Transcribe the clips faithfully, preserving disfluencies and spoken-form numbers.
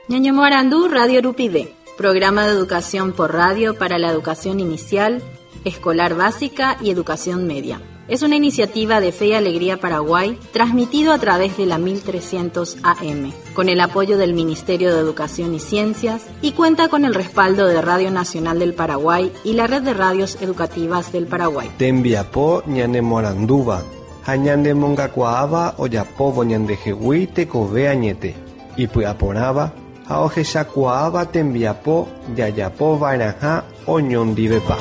Ñañomoarandu Radio Rupive, programa de educación por radio para la educación inicial, escolar básica y educación media. Es una iniciativa de Fe y Alegría Paraguay, transmitido a través de la mil trescientos A M, con el apoyo del Ministerio de Educación y Ciencias, y cuenta con el respaldo de Radio Nacional del Paraguay y la Red de Radios Educativas del Paraguay. Tembiapo ñanemorandúva, ha ñanemongakuaáva ojapóvo ñandehegui tekove añete, ipy'aporãva ha ohechakuaáva tembiapo jajapova'erãha oñondivepa.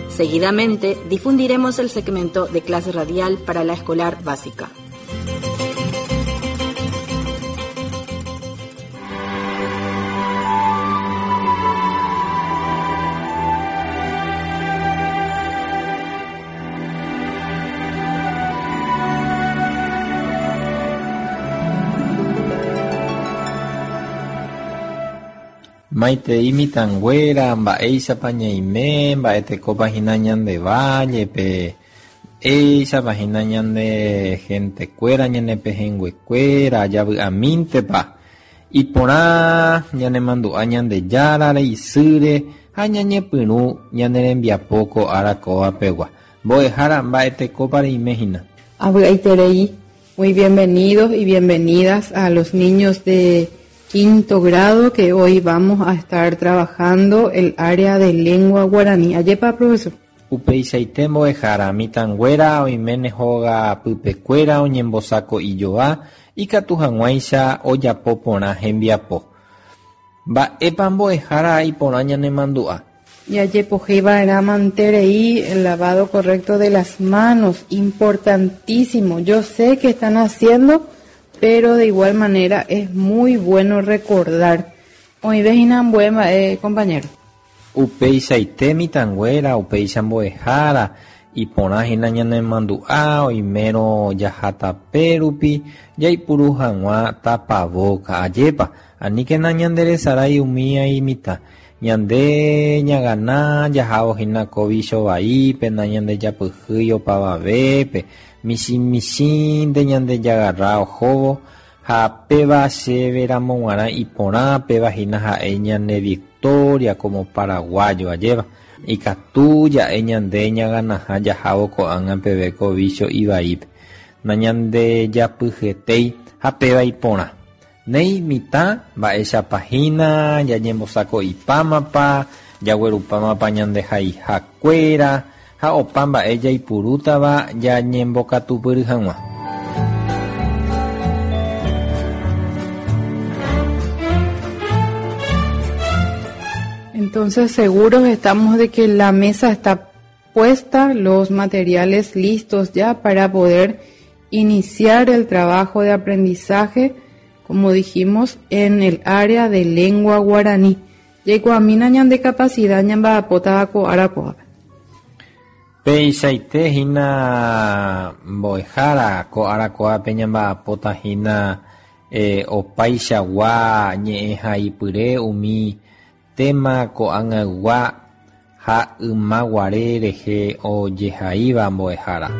Seguidamente, difundiremos el segmento de clase radial para la escolar básica. Maite imitanguera, mba'éichapa ñaime, mba'etekópa hína ñande vállepe, éichapa hína ñande gentekuéra, ñane pehẽnguekuéra, javy'amíntepa, iporã ñanemandu'a Ñandejárare, isýre ha ñañepyrũ ñane rembiapo ko ára kóvapegua. Mbo'ehára mba'etekópa reime hína. Avy'aiterei. Muy bienvenidos y bienvenidas a los niños de quinto grado que hoy vamos a estar trabajando el área de lengua guaraní. Ayepa, profesor. Upeichaite mbo'ehára, mitãnguéra oiméne hóga pypekuéra oñembosako ijoa ikatu hag̃uáicha ojapo porã hembiapo. Mba'épa mbo'ehára iporã ñanemandu'a. Yajepohéiva'erã manterei el lavado correcto de las manos, importantísimo. Yo sé que están haciendo, pero de igual manera es muy bueno recordar. Hoy ves inambuema, eh, compañero. Upeichaite mitãnguéra, upéicha mbo'ehára, iporã hína ñanemandu'a, oimérõ jahatape rupi, jaipuru hag̃ua tapavoka. Ajépa, aníkena ñanderesarái umi mitã. Ñande ñagana jahávo hína ko vicho vaípe, nañandejapyhýi opavavépe, michĩmichĩnte ñandejagarra ohóvo, ha péva chéve ramog̃uarã iporã, péva hína ha'e ñane victoria como paraguayo ajéva. Ikatu ja'e ñande ñaganaha jahávo ko'ág̃a peve ko vicho ivaípe. Nañandejapyhetéi ha péva iporã. Néi mitã mba'éichapa hína, jañembosako'ipámapa, jaguerupámapa ñandehaihakuéra ha opa mba'e jaipurútava jañembokatupyry hag̃ua. Entonces, seguros estamos de que la mesa está puesta, los materiales listos ya para poder iniciar el trabajo de aprendizaje, como dijimos, en el área de lengua guaraní. Llegó a mina ñan de capacidad ñan ba pota ko arakoa. Peichaite hína mbo'ehára ko arakoápe ñamba'apóta hína, eh, opaichagua ñe'ẽhaipyre umi tema ko'ag̃aygua ha ymaguare rehe ojehaíva mbo'ehára.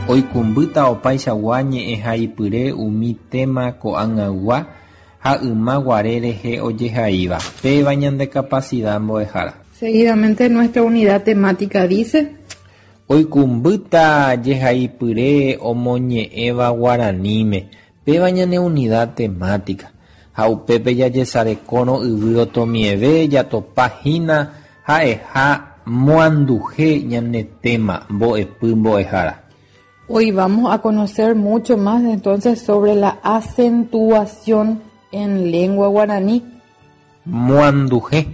Oikũmbýta opaichagua ñe'ẽhaipyre umi tema ko'ag̃aygua ha ymaguare rehe ojehaíva. Péva ñande capacidad mbo'ehára. Seguidamente nuestra unidad temática dice: Oikũmbýta jehaipyre omoñe'ẽva guaraníme. Péva ñane unidad temática. Ha upépe jajesarekórõ yvy otomieve jatopa hína ha'eha moanduhe ñane tema mbo'epy mbo'ehára. Hoy vamos a conocer mucho más entonces sobre la acentuación en lengua guaraní. Moanduhe,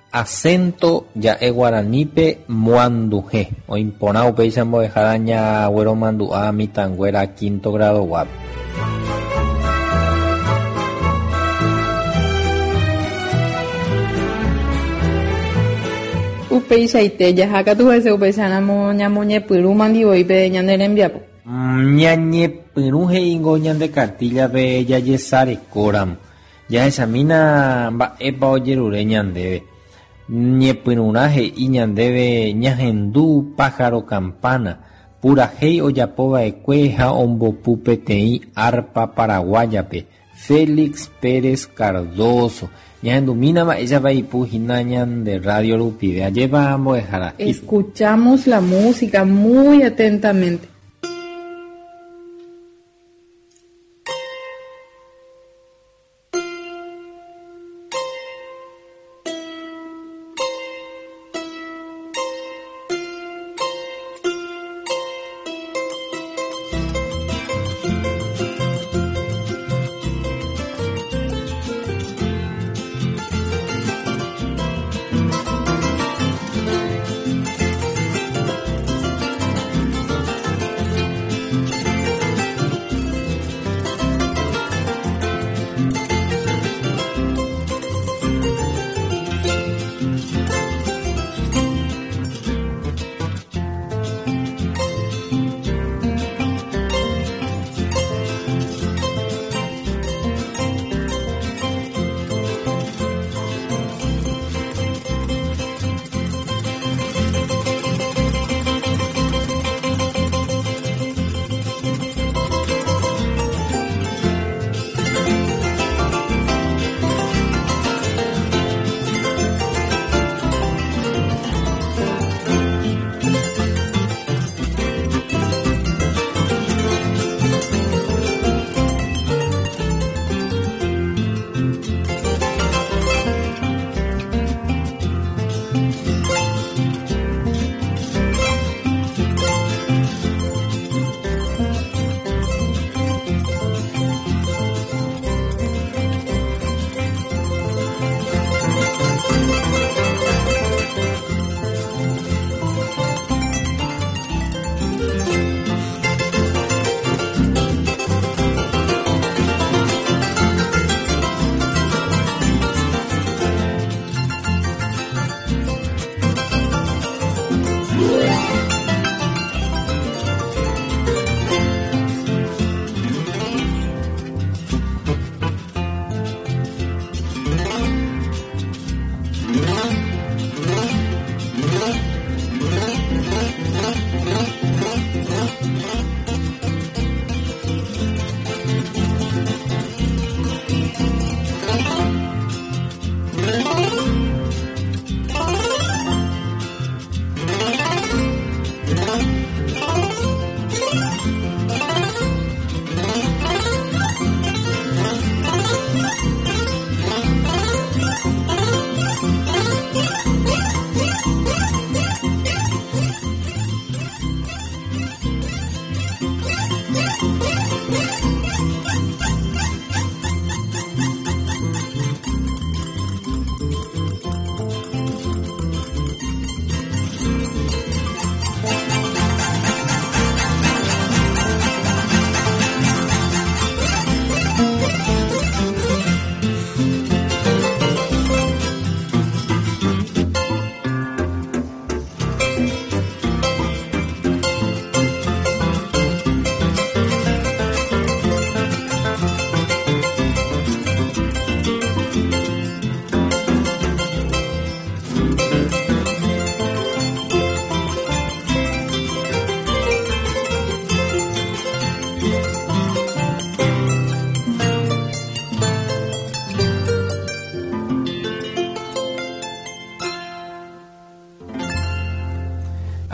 acento ja'e guaranípe moanduhe. Oiporã upéicha mbo'ehára ñagueromandu'a mitãnguéra quinto grado guápe. Upeichaite jahákatu hese upeicharamo ñamoñepyrũ mandivoípe ñane rembiapo. Ñañepyrũ he'íngo ñande cartillape jajesarekóramo. Jahechamína mba'épa ojerure ñandéve. Ñepyrũrã he'i ñandéve ñahendu pájaro campana, purahéi ojapova'ekue ha ombopu peteĩ arpa paraguáyape, Félix Pérez Cardoso. Ñahendumína mba'éichapa ipu hína ñande radio rupive. Ajépa mbo'ehára. Escuchamos la música muy atentamente.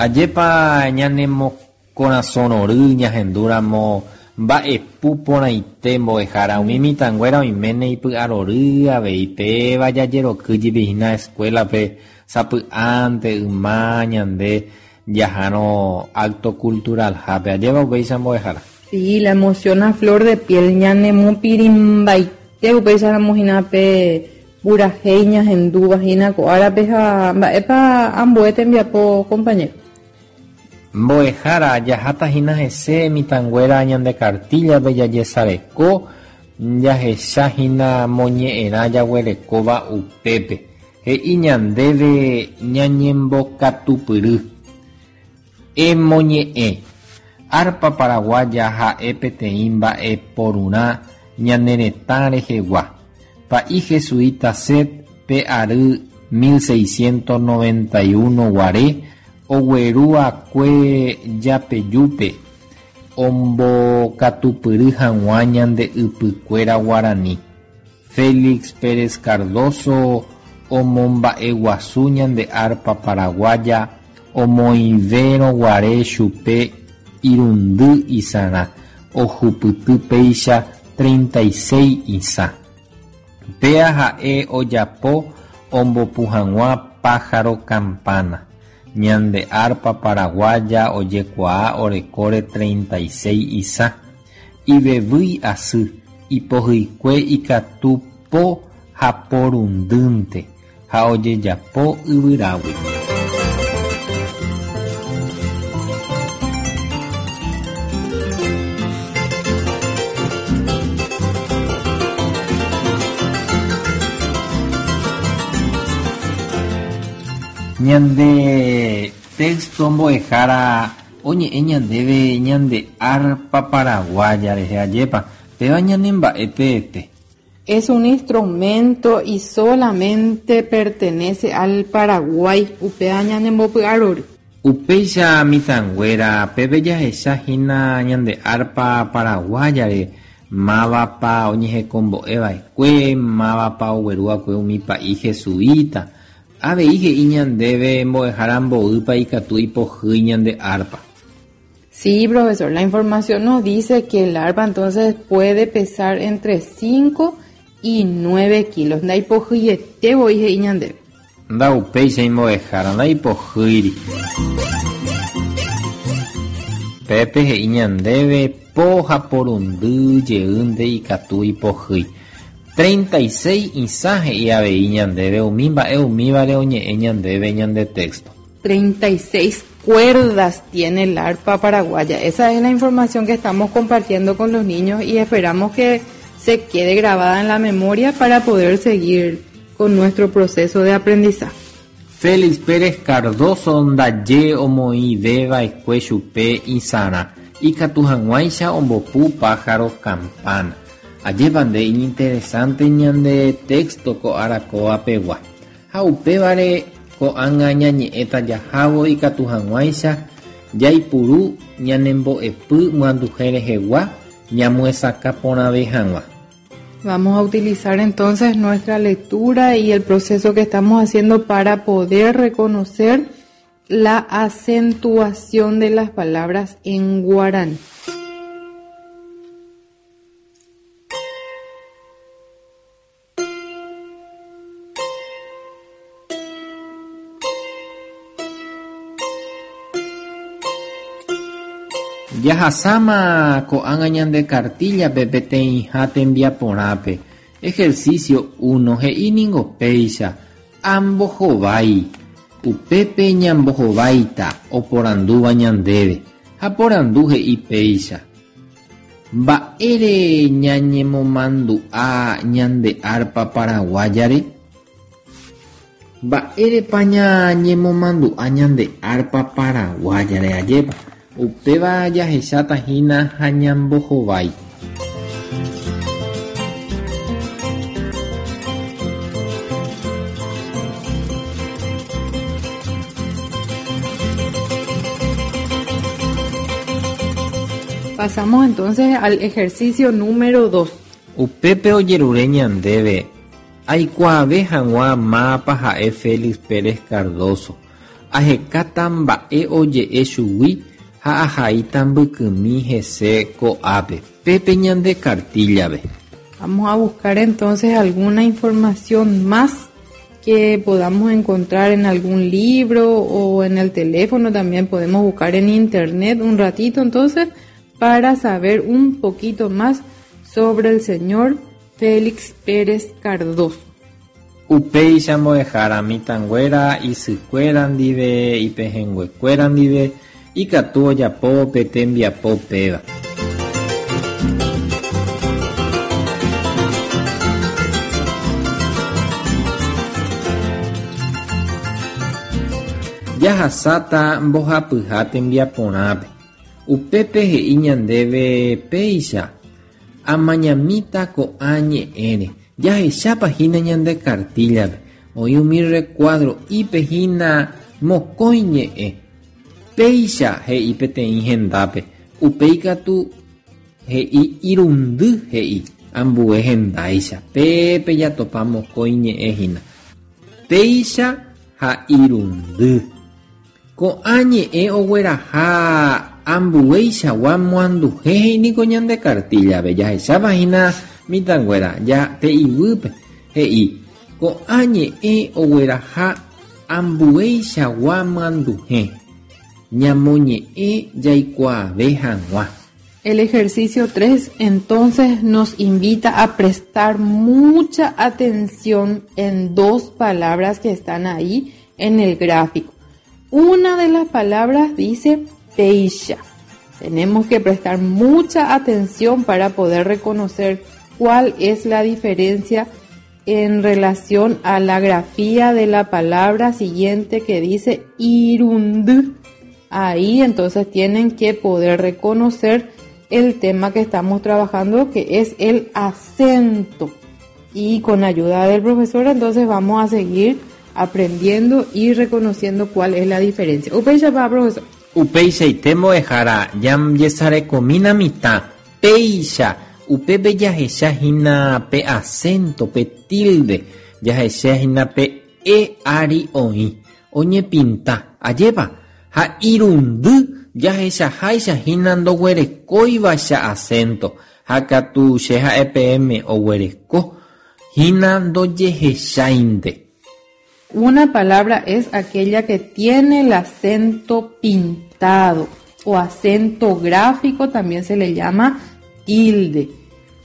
Ajépa ñanemokorasõrory ñahendúramo mba'epu porãite mbo'ehára umi mitãnguéra oiméne ipy'arory avei péva jajerokýjepi hína escuela-pe sapy'ánte yma ñande jahárõ acto cultural-hápe. Ajépa upéicha mbo'ehára. Sí, la emoción a flor de piel ñanemopirĩmbaite upéicharamo hína pe purahéi ñahendúva hína ko'árape ha mba'épa ambue tembiapo compañero. Mbo'ehára jaháta hína hese mitãnguéra ñande cartilla-pe jajesareko jahecha hína moñe'ẽrã jaguerekóva upépe. He'i ñandéve ñañembokatupyry. Emoñe'ẽ. Arpa paraguaya ha'e peteĩ mba'eporurã ñane retã rehegua. Pa'i jesuita Set pe ary mil seiscientos noventa y uno guare ogueruakue japejúpe ombokatupyry hag̃ua ñande ypykuéra guarani. Félix Pérez Cardoso omomba'eguasu ñande arpa paraguaya omoĩvérõ guare chupe irundy isarã ohupyty péicha treinta y seis isã. Péa ha'e ojapo ombopu hag̃ua pájaro campana. Ñande arpa paraguaya ojekuaa orekóre treinta y seis isã. Ivevýi asy, ipohýikue ikatu po ha porundýnte ha ojejapo yvyrágui. Ñande texto mbo'ehára oñe'ẽ ñandéve ñande arpa paraguaya rehe ajépa, péva ñanemba'eteete. Es un instrumento y solamente pertenece al Paraguay. Upéva ñanembopy'arory. Upéicha mitãnguéra pépe jahechahína ñande arpa paraguayare mávapa oñehekombo'eva'ekue, mávapa ogueruakue umi pa'i jesuita. Avei he'i ñandéve mbo'ehára mboýpa ikatu ipohýi ñande arpa. Sí, profesor, la información nos dice que el arpa entonces puede pesar entre cinco y nueve kilos. Ndaipohýiete voi he'i ñandéve. Ndaupéicha imbo'ehára, ndaipohýiri. Pépe he'i ñandéve po ha porundy jeýnte ikatu ipohýi. treinta y seis isã he'i avei ñandéve umi mba'e umívare oñe'ẽ ñandéve ñande texto. treinta y seis cuerdas tiene el arpa paraguaya. Esa es la información que estamos compartiendo con los niños y esperamos que se quede grabada en la memoria para poder seguir con nuestro proceso de aprendizaje. Félix Pérez Cardoso ndaje omoĩvéva'ekue chupe isãrã ikatu hag̃uáicha ombopu pájaro campana. Ajépa nde iñinteresante ñande texto ko arakóapegua. Ha upévare ko'ág̃a ñañe'ẽta jahávo ikatu hag̃uáicha jaipuru ñanembo'epy myanduhe rehegua ñamyesakã porãve hag̃ua. Vamos a utilizar entonces nuestra lectura y el proceso que estamos haciendo para poder reconocer la acentuación de las palabras en guaraní. Jahasáma ko'ág̃a ñande cartillape peteĩha tembiaporãpe. Ejercicio uno he'i ningo péicha ambohovái. Upépe ñambohováita oporandúva ñandéve. Ha porandu he'i péicha. Mba'ére ñañemomandu'a ñande arpa paraguayare? Mba'érepa ñañemomandu'a ñande arpa paraguayare ajépa? Upéva jahecháta hína ha ñambohovái. Pasamos entonces al ejercicio número dos. Upépe ojerure ñandéve aikuaave hag̃ua mápa ha'e Félix Pérez Cardoso. Ahekáta mba'e oje'e chugui ha ahaíta mbykymi hese ko'ápe. Pépe ñande cartillape. Vamos a buscar entonces alguna información más que podamos encontrar en algún libro o en el teléfono. También podemos buscar en internet un ratito entonces para saber un poquito más sobre el señor Félix Pérez Cardoso. Upéicha mbo'ehára mitãnguéra isykuéra ndive, ipehẽnguekuéra ndive, ikatu ojapo pe tembiapo péva. Jahasáta mbohapyha tembiaporãpe. Upépe he'i ñandéve péicha amañamíta ko'ã ñe'ẽre. Jahechápa hína ñande cartillape. Oĩ umi recuadro'ípe hína mokõi ñe'ẽ. Péicha he'i peteĩ hendápe. Upéi katu he'i irundy he'i ambue hendáicha. Pépe jatopa mokõi ñe'ẽ hína. Péicha ha irundy. Ko'ã ñe'ẽ ogueraha ambueichagua moanduhe he'íniko ñande cartillape. Jahecháva hína mitãnguéra ja pe iguýpe he'i ko'ã ñe'ẽ ogueraha ambueichagua moanduhe. Ñamoñe'ẽ jaikuaave hag̃ua. El ejercicio tres entonces nos invita a prestar mucha atención en dos palabras que están ahí en el gráfico. Una de las palabras dice péicha. Tenemos que prestar mucha atención para poder reconocer cuál es la diferencia en relación a la grafía de la palabra siguiente que dice irundy. Ahí entonces tienen que poder reconocer el tema que estamos trabajando, que es el acento. Y con ayuda del profesor entonces vamos a seguir aprendiendo y reconociendo cuál es la diferencia. Upéicha pa, profesor. Upeichaite mbo'ehára jam jesarekomína mitã. Péicha upépe jahecha hína pe acento, pe tilde, jahecha hína pe e ári oĩ, oñepinta, ajépa ha irundy jahechaháicha hína ndoguerekóivacha acento, ha katu che ha'e peẽme oguereko hína ndojehecháinte. Una palabra es aquella que tiene el acento pintado o acento gráfico, también se le llama tilde.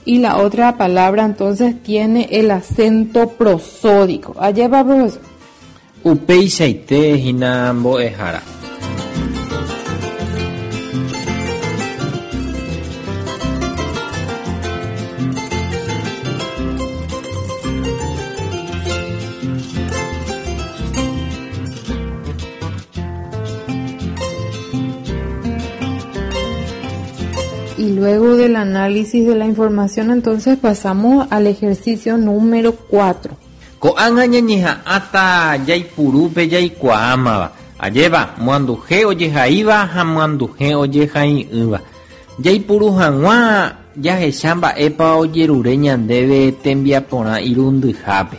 Y la otra palabra entonces tiene el acento prosódico. Allá va, profesor. Upeichaite hína mbo'ehára. Y luego del análisis de la información, entonces pasamos al ejercicio número cuatro. Ko'ág̃a ñañeha'ãta jaipurúpe jaikuaámava. Ajépa moanduhe ojehaíva ha moanduhe ojehai'ỹva. Jaipuru hag̃ua jahecha mba'épa ojerure ñandéve tembiaporã irundyhápe.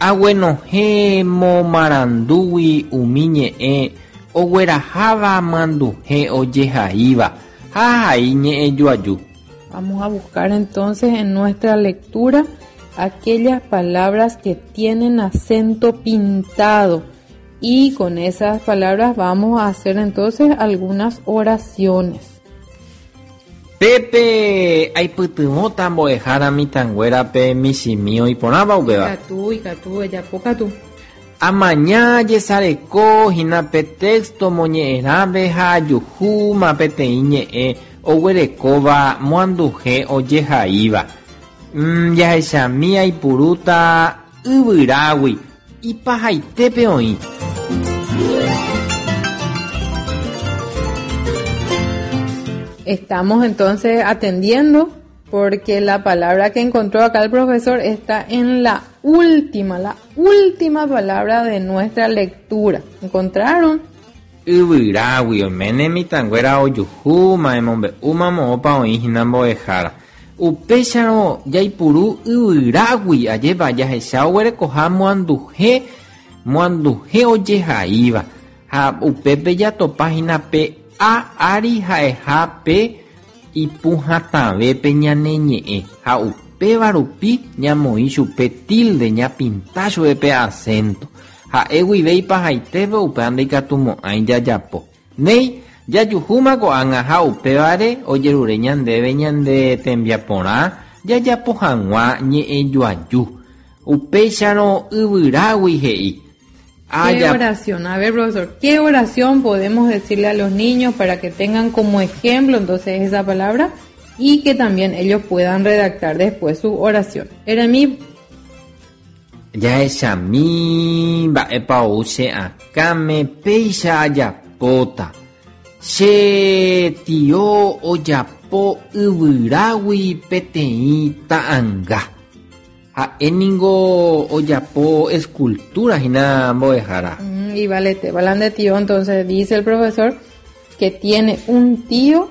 Aguenohẽ momarandúgui umi ñe'ẽ ogueraháva moanduhe ojehaíva. Ha ahai ñe'ẽ joaju. Vamos a buscar entonces en nuestra lectura aquellas palabras que tienen acento pintado y con esas palabras vamos a hacer entonces algunas oraciones. Pepe aipytyvõta mbo'ehára mitãnguérape michĩmi oiporãva upéva. Ikatu, ikatu, ejapo katu. Amaña jesareko hína pe texto moñe'ẽrãve ha ajuhúma peteĩ ñe'ẽ oguerekóva moanduhe ojehaíva. Mm, jahechami aipurúta yvyrágui ipahaitépe oĩ. Estamos entonces atendiendo porque la palabra que encontró acá el profesor está en la última, la última palabra de nuestra lectura. ¿Encontraron? Yvyrágui oiméne mitãnguéra ojuhúma emombe'úma moõpa oĩ hína mbo'ehára. Upéicharõ jaipuru yvyrágui ajépa jahecha oguerekoha moanduhe, moanduhe ojehaíva. Ha upépe jatopa hína pe a ári ha'eha pe ipuhatãvépe ñane ñe'ẽ. Ha upéva rupi ñamoĩ chupe tilde ñapinta chupe pe acento. Ha'e guive ipahaitépe upéva ndaikatumo'ãi jajapo. Néi jajuhúma ko'ág̃a ha upévare ojerure ñandéve ñande tembiaporã jajapo hag̃ua ñe'ẽ joaju. Upéicharõ yvyrágui he'i. ¿Qué oración? A ver, profesor, ¿qué oración podemos decirle a los niños para que tengan como ejemplo entonces esa palabra y que también ellos puedan redactar después su oración? Era mi... Jahechami mba'épa ou che akãme péicha ajapóta. Che tio ojapo yvyrágui peteĩ ta'ãnga. Ha'e ningo ojapo escultura hína mbo'ehára. Mm, y valete, balande tío, entonces dice el profesor que tiene un tío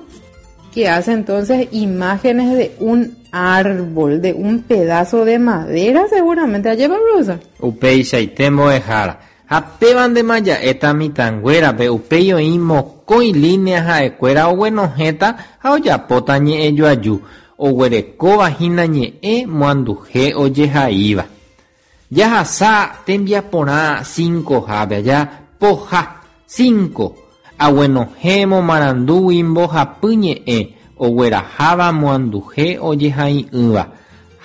que hace entonces imágenes de un árbol, de un pedazo de madera seguramente. Allá va, profesor. Upeichaite mbo'ehára. Ha péva ndéma ja'éta mitãnguérape upéi oĩ mokõi línea ha'ekuéra oguenohẽta ha ojapóta ñe'ẽjoaju oguerekóva hína ñe'ẽ muanduhe ojehaíva. Jahasa tembiaporã cinco-hápe aja poha cinco aguenohẽ momarandúgui mbohapy ñe'ẽ ogueraháva muanduhe ojehai'ỹva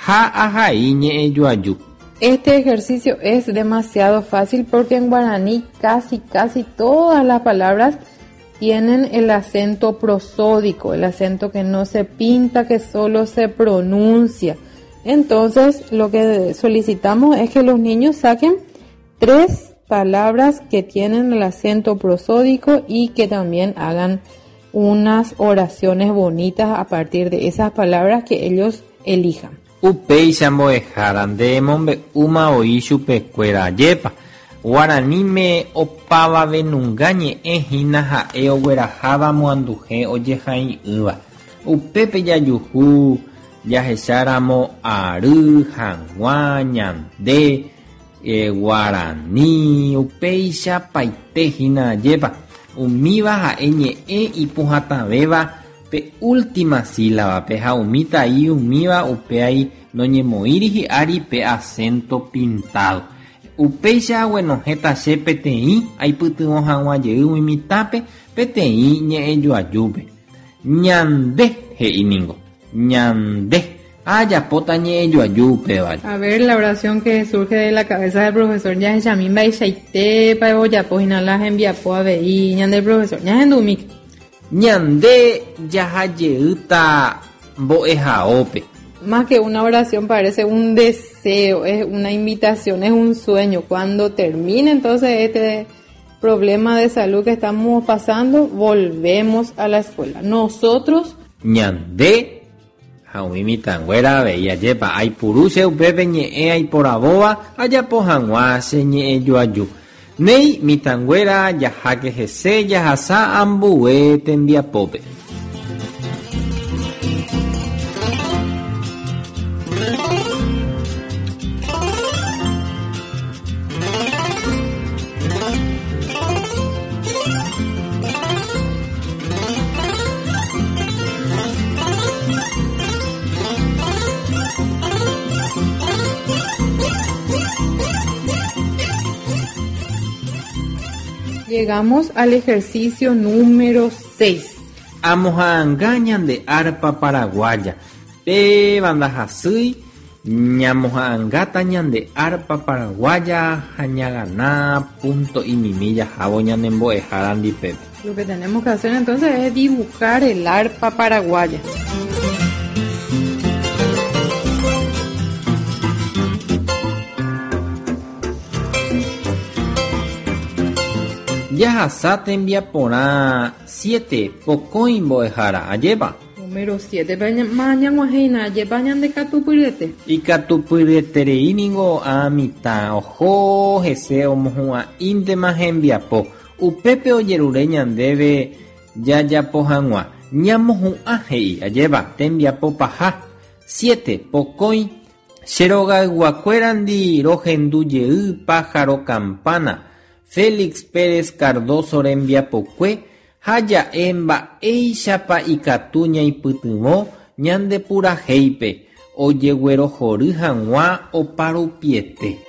ha ahai ñe'ẽjoaju. Este ejercicio es demasiado fácil porque en guaraní casi, casi todas las palabras tienen el acento prosódico, el acento que no se pinta, que solo se pronuncia. Entonces, lo que solicitamos es que los niños saquen tres palabras que tienen el acento prosódico y que también hagan unas oraciones bonitas a partir de esas palabras que ellos elijan. Upéicha mbo'ehára nde mombe'úma oĩ chupekuéra jepa. Guaraníme opavavenunga ñe'ẽ hína ha'e ogueraháva muanduhe ojehai'ỹva. Upépe jajuhu jahecháramo ary, hag̃ua, ñande, eh, guarani, upéicha paite hína jepa. Umíva ha'e ñe'ẽ ipuhatãvéva pe última sílaba-pe ha umi tai umíva upeai noñemoĩri hi'ári pe acento pintado. Upéicha aguenohẽta che peteĩ aipytyvõ hag̃ua jey umi mitãpe peteĩ ñe'ẽjoajúpe. Ñande he'i ningo. Ñande. Ajapóta ñe'ẽjoaju upévare. A ver, la oración que surge de la cabeza del profesor jahechami mba'eichaitépa ojapo hína la hembiapo avei ñande profesor. Ñahendumíke. Ñande jahajeýta mbo'ehaópe. Más que una oración parece un deseo, es una invitación, es un sueño. Cuando termine entonces este problema de salud que estamos pasando, volvemos a la escuela. Nosotros... Ñande, ha umi mitãnguéra avei ajépa aipuru che upépe ñe'ẽ aiporavóva ajapo hag̃ua che ñe'ẽjoaju. Néi mitãnguéra jaháke hese jahasa ambue tembiapópe. Llegamos al ejercicio número seis. Amoha'ãnga ñande arpa paraguaya. Pe bandahasýi ñamoha'ãngáta ñande arpa paraguaya ha ñaganá punto imimi jahávo ñanembo'ehára ndipépe. Lo que tenemos que hacer entonces es dibujar el arpa paraguaya. Jahasa tembiaporã siete pokõi mbo'ehára ajépa. Número siete, mañag̃uahẽina ajépa ñandekatupyryete. Ikatupyryeterei ningo ã mitã oho hese omohu'ã'íntema hembiapo. Upépe ojerure ñandéve jajapo hag̃ua. Ñamohu'ã he'i ajépa tembiapo paha. Siete pokõi che rogayguakuérandi rohendu jey pájaro campana. Félix Pérez Cardoso rembiapokue ha ja'e mba'éichapa ikatu ñaipytyvõ ñandepurahéipe ojeguerohory hag̃ua oparupiete.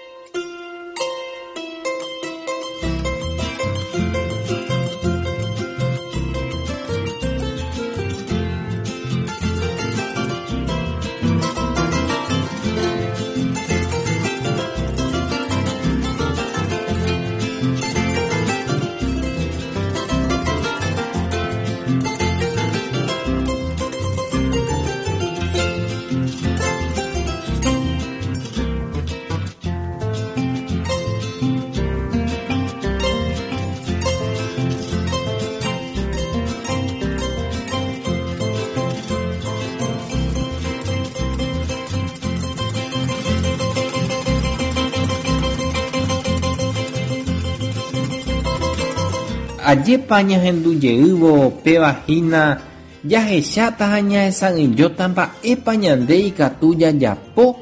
Ajépa ñahendujeývo péva hína jahecháta ha ñahesa'ỹijóta mba'épa ñande ikatu jajapo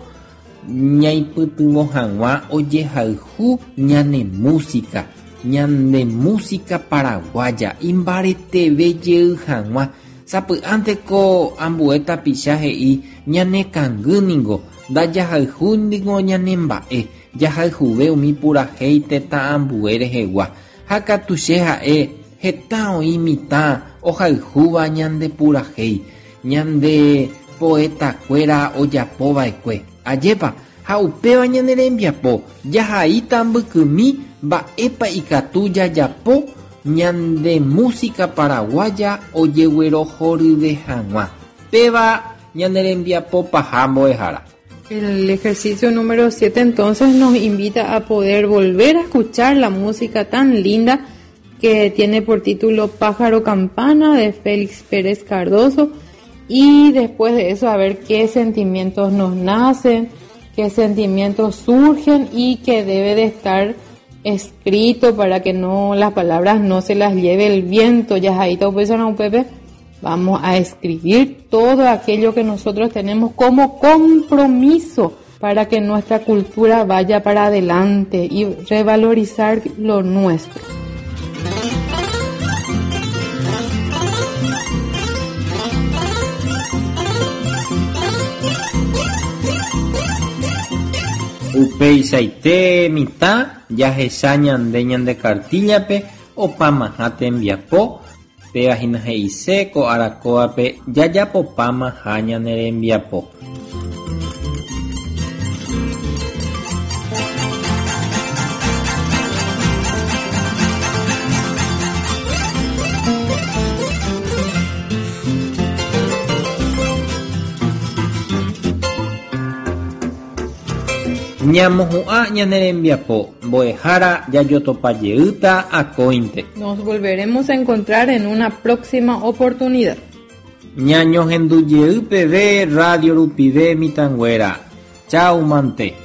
ñaipytyvõ hag̃ua ojehayhu ñane música, ñande música paraguaya imbareteve jey hag̃ua. Sapy'ánteko ambue tapicha he'i ñanekangýningo ndajahayhúningo ñanemba'e, jahayhuve umi purahéi tetã ambue rehegua. Ha katu che ha'e heta oĩ mitã ohayhúva ñande purahéi, ñande poetakuéra ojapova'ekue. Ajépa ha upéva ñane rembiapo jahaíta mbykymi mba'épa ikatu jajapo ñande música paraguaya ojeguerohoryve hag̃ua. Péva ñane rembiapo paha mbo'ehára. El ejercicio número siete entonces nos invita a poder volver a escuchar la música tan linda que tiene por título Pájaro Campana de Félix Pérez Cardoso, y después de eso a ver qué sentimientos nos nacen, qué sentimientos surgen y que debe de estar escrito para que no las palabras no se las lleve el viento. Ya ahí todo Pepe, vamos a escribir todo aquello que nosotros tenemos como compromiso para que nuestra cultura vaya para adelante y revalorizar lo nuestro. Upeichaite mitã jahecha ñande ñande kartíllape opamaha tembiapo péva hína he'ise ko arakóvape jajapopamaha ñane rembiapo. Ñamohu'ã ñane rembiapo mbo'ehára jajotopajeýta akóinte. Nos volveremos a encontrar en una próxima oportunidad. Ñañohendujey peve Radio Rupive mitãnguéra. Chau mante.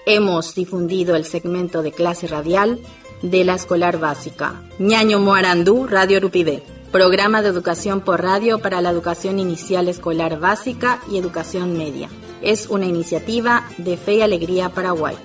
Hemos difundido el segmento de clase radial de la escolar básica. Ñaño Moarandú, Radio Rupivé. Programa de educación por radio para la educación inicial escolar básica y educación media. Es una iniciativa de Fe y Alegría Paraguay.